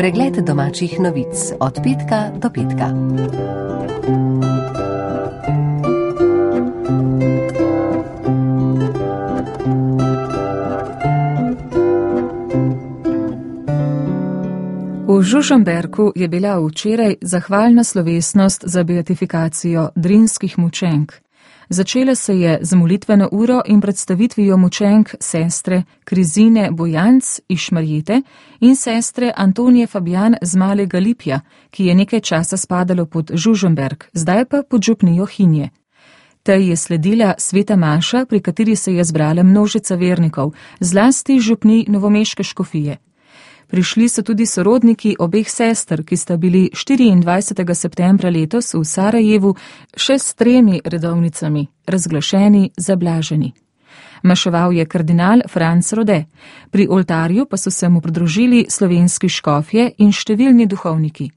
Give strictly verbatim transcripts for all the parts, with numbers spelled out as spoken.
Pregled domačih novic od petka do petka. V Žužemberku je bila včeraj zahvalna slovesnost za beatifikacijo drinskih mučenk. Začela se je z molitveno uro in predstavitvijo mučenk sestre Krizine Bojanc iz Šmarjete in sestre Antonije Fabijan z Malega Lipja, ki je nekaj časa spadalo pod Žužemberk, zdaj pa pod župnijo Hinje. Tej je sledila sveta maša, pri kateri se je zbrala množica vernikov, zlasti župni novomeške škofije. Prišli so tudi sorodniki obeh sester, ki sta bili štiriindvajsetega septembra letos v Sarajevu še s tremi redovnicami, razglašeni za blaženi. Maševal je kardinal Franc Rode, pri oltarju pa so se mu pridružili slovenski škofje in številni duhovniki.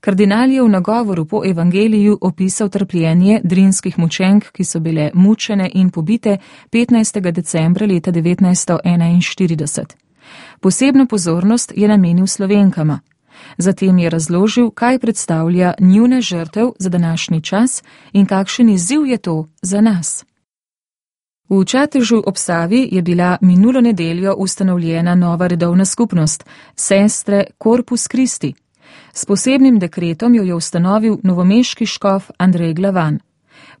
Kardinal je v nagovoru po evangeliju opisal trpljenje drinskih mučenk, ki so bile mučene in pobite petnajstega decembra leta devetnajststo enainštirideset. Posebno pozornost je namenil Slovenkama. Zatem je razložil, kaj predstavlja njuna žrtev za današnji čas in kakšen izziv je to za nas. V Čatežu ob Savi je bila minulo nedeljo ustanovljena nova redovna skupnost, sestre Corpus Christi. S posebnim dekretom jo je ustanovil novomeški škof Andrej Glavan.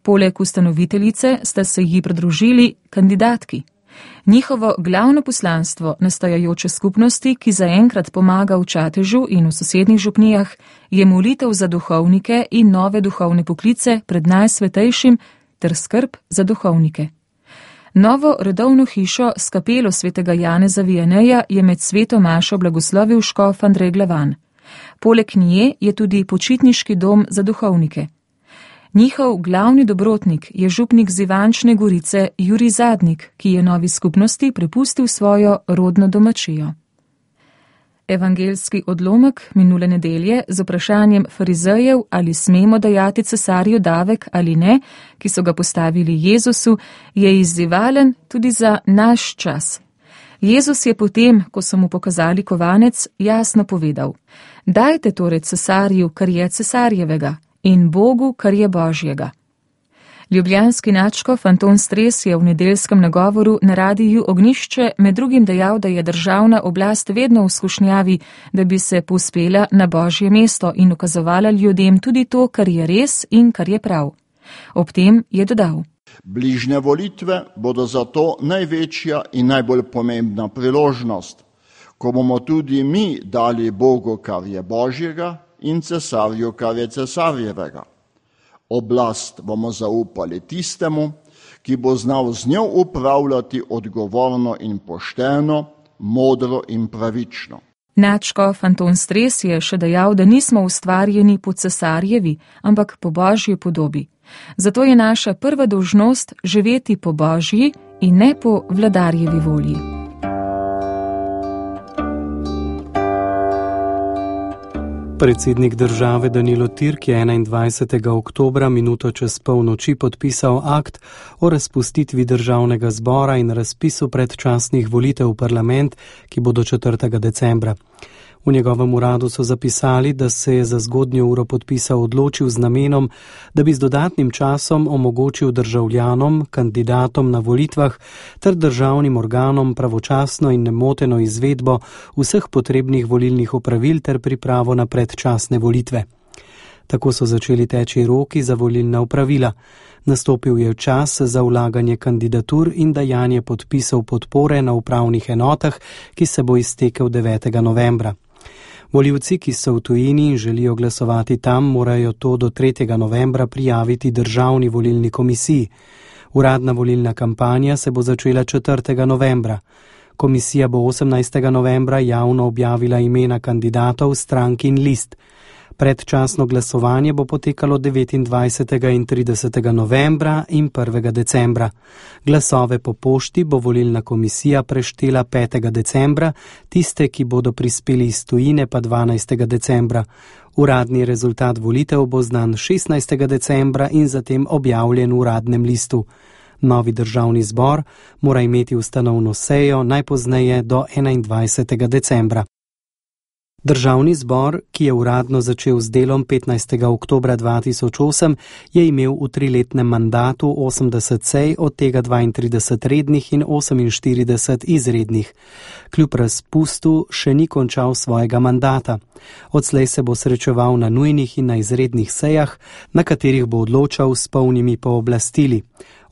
Poleg ustanoviteljice sta se ji pridružili kandidatki. Njihovo glavno poslanstvo nastajajoče skupnosti, ki zaenkrat pomaga v Čatežu in v sosednjih župnijah, je molitev za duhovnike in nove duhovne poklice pred najsvetejšim ter skrb za duhovnike. Novo redovno hišo s kapelo svetega Janeza Vijaneja je med sveto mašo blagoslovil škof Andrej Glavan. Poleg nje je tudi počitniški dom za duhovnike. Njihov glavni dobrotnik je župnik z Ivančne Gorice Jurij Zadnik, ki je novi skupnosti prepustil svojo rodno domačijo. Evangelski odlomek minule nedelje z vprašanjem farizejev, ali smemo dajati cesarju davek ali ne, ki so ga postavili Jezusu, je izzivalen tudi za naš čas. Jezus je potem, ko so mu pokazali kovanec, jasno povedal: dajte torej cesarju, kar je cesarjevega, in Bogu, kar je Božjega. Ljubljanski nadškof Anton Stres je v nedeljskem nagovoru na radiju Ognjišče med drugim dejal, da je državna oblast vedno v skušnjavi, da bi se povzpela na Božje mesto in ukazovala ljudem tudi to, kar je res in kar je prav. Ob tem je dodal: bližnje volitve bodo zato največja in najbolj pomembna priložnost, ko bomo tudi mi dali Bogu, kar je Božjega, in cesarju, kar je cesarjevega. Oblast bomo zaupali tistemu, ki bo znal z njo upravljati odgovorno in pošteno, modro in pravično. Nadškof Anton Stres je še dejal, da nismo ustvarjeni po cesarjevi, ampak po Božji podobi. Zato je naša prva dolžnost živeti po Božji in ne po vladarjevi volji. Predsednik države Danilo Türk je enaindvajsetega oktobra minuto čez polnoči podpisal akt o razpustitvi državnega zbora in razpisu predčasnih volitev v parlament, ki bodo četrtega decembra. V njegovem uradu so zapisali, da se je za zgodnjo uro podpisa odločil z namenom, da bi z dodatnim časom omogočil državljanom, kandidatom na volitvah ter državnim organom pravočasno in nemoteno izvedbo vseh potrebnih volilnih opravil ter pripravo na predčasne volitve. Tako so začeli teči roki za volilna opravila. Nastopil je čas za vlaganje kandidatur in dajanje podpisov podpore na upravnih enotah, ki se bo iztekel devetega novembra. Volivci, ki so v tujini in želijo glasovati tam, morajo to do tretjega novembra prijaviti Državni volilni komisiji. Uradna volilna kampanja se bo začela četrtega novembra. Komisija bo osemnajstega novembra javno objavila imena kandidatov, strank in list. Predčasno glasovanje bo potekalo devetindvajsetega in tridesetega novembra in prvega decembra. Glasove po pošti bo volilna komisija preštela petega decembra, tiste, ki bodo prispeli iz tujine, pa dvanajstega decembra. Uradni rezultat volitev bo znan šestnajstega decembra in zatem objavljen v uradnem listu. Novi državni zbor mora imeti ustanovno sejo najpozneje do enaindvajsetega decembra. Državni zbor, ki je uradno začel z delom petnajstega oktobra dva tisoč osem, je imel v triletnem mandatu osemdeset sej, od tega dvaintrideset rednih in oseminštirideset izrednih. Kljub razpustu še ni končal svojega mandata. Odslej se bo srečeval na nujnih in na izrednih sejah, na katerih bo odločal s polnimi pooblastili.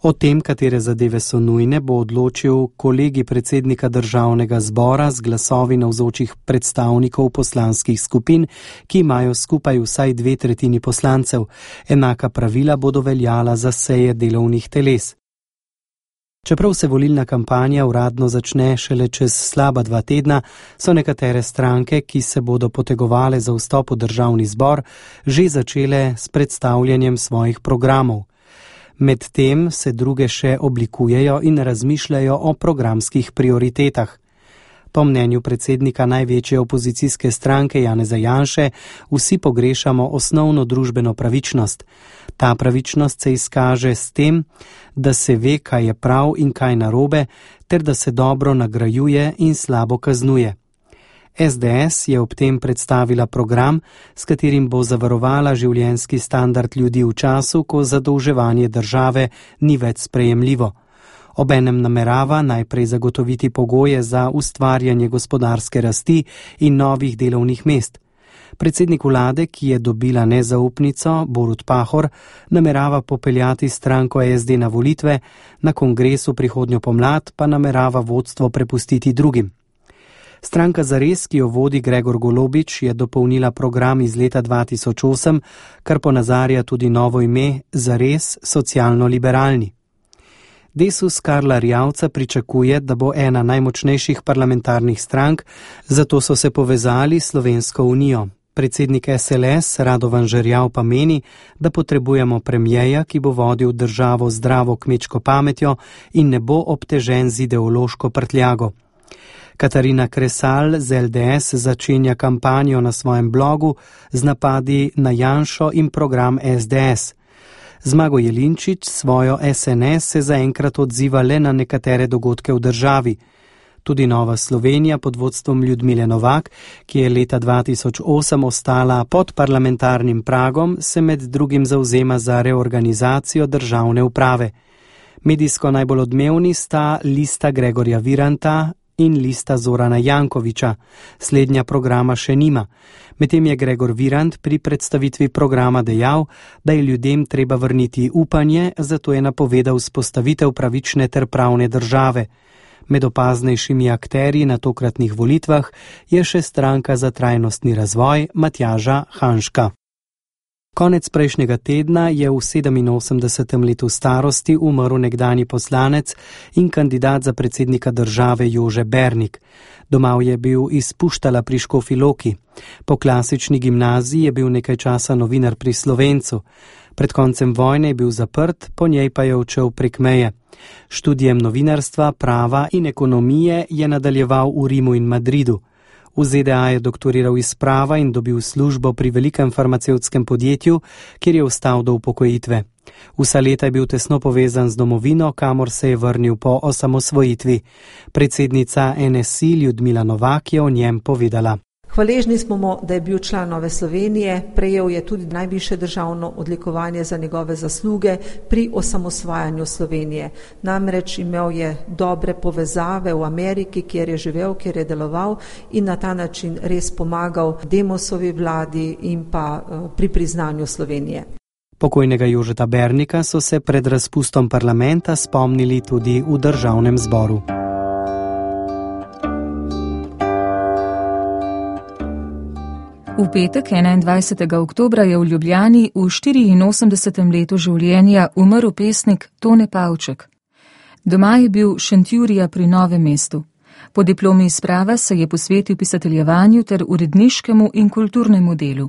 O tem, katere zadeve so nujne, bo odločil kolegij predsednika državnega zbora z glasovi navzočih predstavnikov poslanskih skupin, ki imajo skupaj vsaj dve tretjini poslancev. Enaka pravila bodo veljala za seje delovnih teles. Čeprav se volilna kampanja uradno začne šele čez slaba dva tedna, so nekatere stranke, ki se bodo potegovale za vstop v državni zbor, že začele s predstavljanjem svojih programov. Medtem se druge še oblikujejo in razmišljajo o programskih prioritetah. Po mnenju predsednika največje opozicijske stranke Janeza Janše, vsi pogrešamo osnovno družbeno pravičnost. Ta pravičnost se izkaže s tem, da se ve, kaj je prav in kaj narobe, ter da se dobro nagrajuje in slabo kaznuje. es de es je ob tem predstavila program, s katerim bo zavarovala življenjski standard ljudi v času, ko zadolževanje države ni več sprejemljivo. Obenem namerava najprej zagotoviti pogoje za ustvarjanje gospodarske rasti in novih delovnih mest. Predsednik vlade, ki je dobila nezaupnico, Borut Pahor, namerava popeljati stranko es de na volitve, na kongresu prihodnjo pomlad pa namerava vodstvo prepustiti drugim. Stranka Zares, ki jo vodi Gregor Golobič, je dopolnila program iz leta dva tisoč osem, kar ponazarja tudi novo ime Zares socialno-liberalni. Desus Karla Rjavca pričakuje, da bo ena najmočnejših parlamentarnih strank, zato so se povezali s Slovensko unijo. Predsednik es el es Radovan Žerjav pa meni, da potrebujemo premijeja, ki bo vodil državo zdravo kmečko pametjo in ne bo obtežen z ideološko prtljago. Katarina Kresal z el de es začenja kampanjo na svojem blogu z napadi na Janšo in program es de es. Zmago Jelinčič svojo es en es se zaenkrat odziva le na nekatere dogodke v državi. Tudi Nova Slovenija pod vodstvom Ljudmile Novak, ki je leta dva tisoč osem ostala pod parlamentarnim pragom, se med drugim zavzema za reorganizacijo državne uprave. Medijsko najbolj odmevni sta lista Gregorja Viranta in lista Zorana Jankovića. Slednja programa še nima. Medtem je Gregor Virant pri predstavitvi programa dejal, da je ljudem treba vrniti upanje, zato je napovedal vzpostavitev pravične ter pravne države. Med opaznejšimi akterji na tokratnih volitvah je še stranka za trajnostni razvoj Matjaža Hanžka. Konec prejšnjega tedna je v sedeminosemdesetem letu starosti umrl nekdanji poslanec in kandidat za predsednika države Jože Bernik. Domov je bil iz Puštala pri Škofji Loki. Po klasični gimnaziji je bil nekaj časa novinar pri Slovencu. Pred koncem vojne je bil zaprt, po njej pa je odšel prek meje. Študijem novinarstva, prava in ekonomije je nadaljeval v Rimu in Madridu. V ze de a je doktoriral iz prava in dobil službo pri velikem farmacevtskem podjetju, kjer je ostal do upokojitve. Vsa leta je bil tesno povezan z domovino, kamor se je vrnil po osamosvojitvi. Predsednica en es i Ljudmila Novak je o njem povedala. Hvaležni smo mu, da je bil član Nove Slovenije, prejel je tudi najvišje državno odlikovanje za njegove zasluge pri osamosvajanju Slovenije. Namreč imel je dobre povezave v Ameriki, kjer je živel, kjer je deloval in na ta način res pomagal Demosovi vladi in pa pri priznanju Slovenije. Pokojnega Jožeta Bernika so se pred razpustom parlamenta spomnili tudi v državnem zboru. V petek enaindvajsetega oktobra je v Ljubljani v štiriinosemdesetem letu življenja umrl pesnik Tone Pavček. Doma je bil Šentjurija pri Novem mestu. Po diplomi iz prava se je posvetil pisateljevanju ter uredniškemu in kulturnemu delu.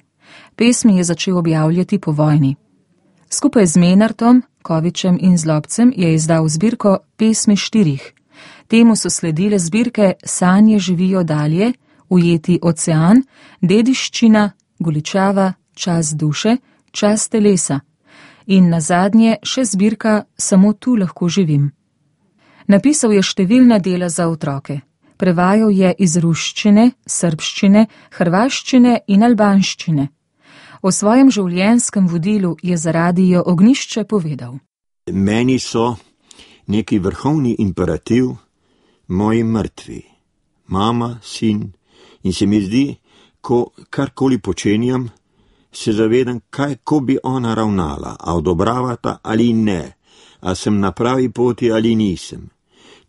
Pesmi je začel objavljati po vojni. Skupaj z Menartom, Kovičem in Zlobcem je izdal zbirko Pesmi štirih. Temu so sledile zbirke Sanje živijo dalje, Ujeti ocean, Dediščina, Goličava, Čas duše, Čas telesa in nazadnje še zbirka Samo tu lahko živim. Napisal je številna dela za otroke. Prevajal je iz ruščine, srbščine, hrvaščine in albanščine. O svojem življenjskem vodilu je za Radio Ognjišče povedal. Meni so neki vrhovni imperativ moji mrtvi, mama, sin, in se mi zdi, ko karkoli počenjam, se zavedam, kaj ko bi ona ravnala, a odobravata ali ne, a sem na pravi poti ali nisem.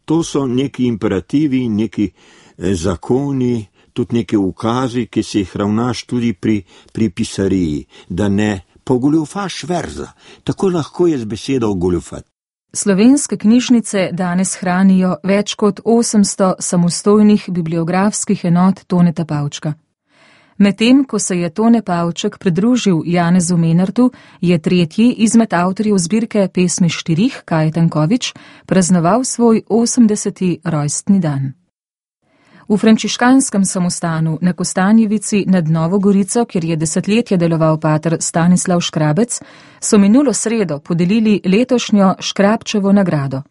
To so neki imperativi, neki zakoni, tudi neki ukazi, ki se jih ravnaš tudi pri, pri pisariji, da ne pogoljufaš verza, tako lahko je z besedo goljufati. Slovenske knjižnice danes hranijo več kot osemsto samostojnih bibliografskih enot Toneta Pavčka. Medtem, ko se je Tone Pavček pridružil Janezu Menartu, je tretji izmed avtorjev zbirke Pesmi štirih, Kaj Tanković, praznoval svoj osemdeseti rojstni dan. V frančiškanskem samostanu na Kostanjevici nad Novo Gorico, kjer je desetletje deloval pater Stanislav Škrabec, so minulo sredo podelili letošnjo Škrabčevo nagrado.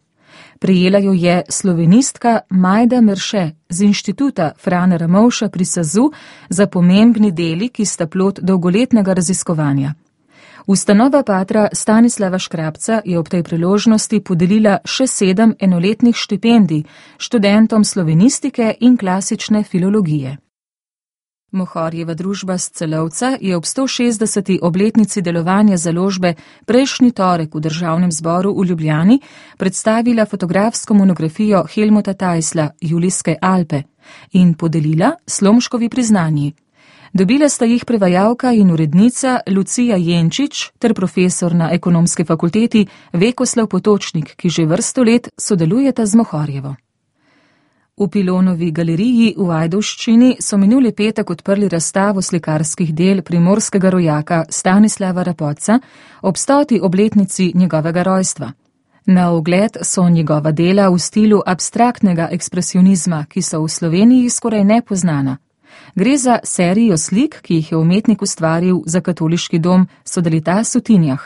Prejela jo je slovenistka Majda Merše z inštituta Frana Ramovša pri Sazu za pomembni deli, ki sta plod dolgoletnega raziskovanja. Ustanova patra Stanislava Škrabca je ob tej priložnosti podelila še sedem enoletnih štipendij študentom slovenistike in klasične filologije. Mohorjeva družba s Celovca je ob sto šestdeseti obletnici delovanja založbe prejšnji torek v Državnem zboru v Ljubljani predstavila fotografsko monografijo Helmuta Tajsla Julijske Alpe in podelila Slomškovi priznanji. Dobila sta jih prevajalka in urednica Lucija Jenčič ter profesor na Ekonomski fakulteti Vekoslav Potočnik, ki že vrsto let sodelujeta z Mohorjevo. V Pilonovi galeriji v Ajdovščini so minuli petek odprli razstavo slikarskih del primorskega rojaka Stanislava Rapoca ob stoti obletnici njegovega rojstva. Na ogled so njegova dela v stilu abstraktnega ekspresionizma, ki so v Sloveniji skoraj nepoznana. Gre za serijo slik, ki jih je umetnik ustvaril za katoliški dom Sodalitas v Tinjah.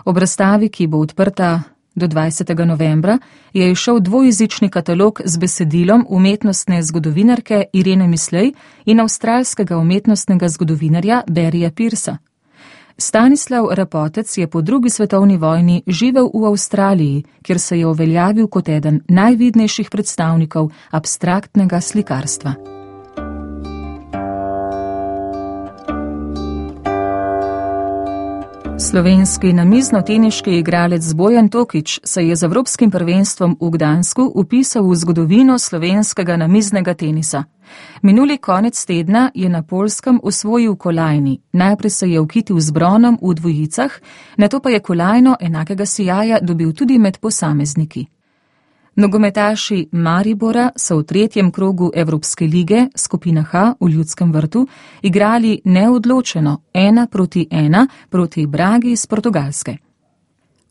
Ob razstavi, ki bo odprta do dvajsetega novembra, je izšel dvojezični katalog z besedilom umetnostne zgodovinarke Irene Mislej in avstralskega umetnostnega zgodovinarja Barryja Pearsa. Stanislav Rapotec je po drugi svetovni vojni živel v Avstraliji, kjer se je uveljavil kot eden najvidnejših predstavnikov abstraktnega slikarstva. Slovenski namizno-teniški igralec Bojan Tokič se je z evropskim prvenstvom v Gdansku vpisal v zgodovino slovenskega namiznega tenisa. Minuli konec tedna je na Poljskem osvojil kolajni. Najprej se je ukitil z bronom v dvojicah, nato pa je kolajno enakega sijaja dobil tudi med posamezniki. Nogometaši Maribora so v tretjem krogu Evropske lige, skupina H v Ljudskem vrtu, igrali neodločeno ena proti ena proti Bragi iz Portugalske.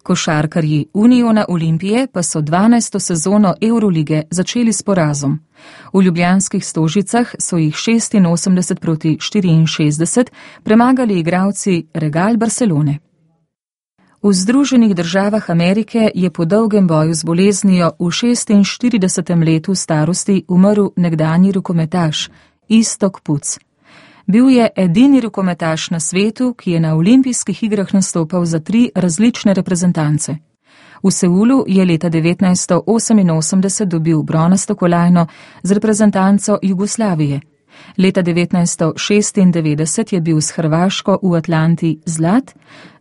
Košarkarji Uniona Olimpije pa so dvanajsto sezono Eurolige začeli s porazom. V ljubljanskih Stožicah so jih šestinosemdeset proti štiriinšestdeset premagali igralci Real Barcelone. V Združenih državah Amerike je po dolgem boju z boleznijo v šestinštiridesetem letu starosti umrl nekdanji rokometaš Iztok Puc. Bil je edini rokometaš na svetu, ki je na olimpijskih igrah nastopal za tri različne reprezentance. V Seulu je leta devetnajststo oseminosemdeset dobil bronasto kolajno z reprezentanco Jugoslavije. Leta devetnajststo šestindevetdeset je bil s Hrvaško v Atlanti zlat,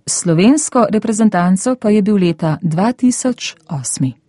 s slovensko reprezentanco pa je bil leta dva tisoč osem.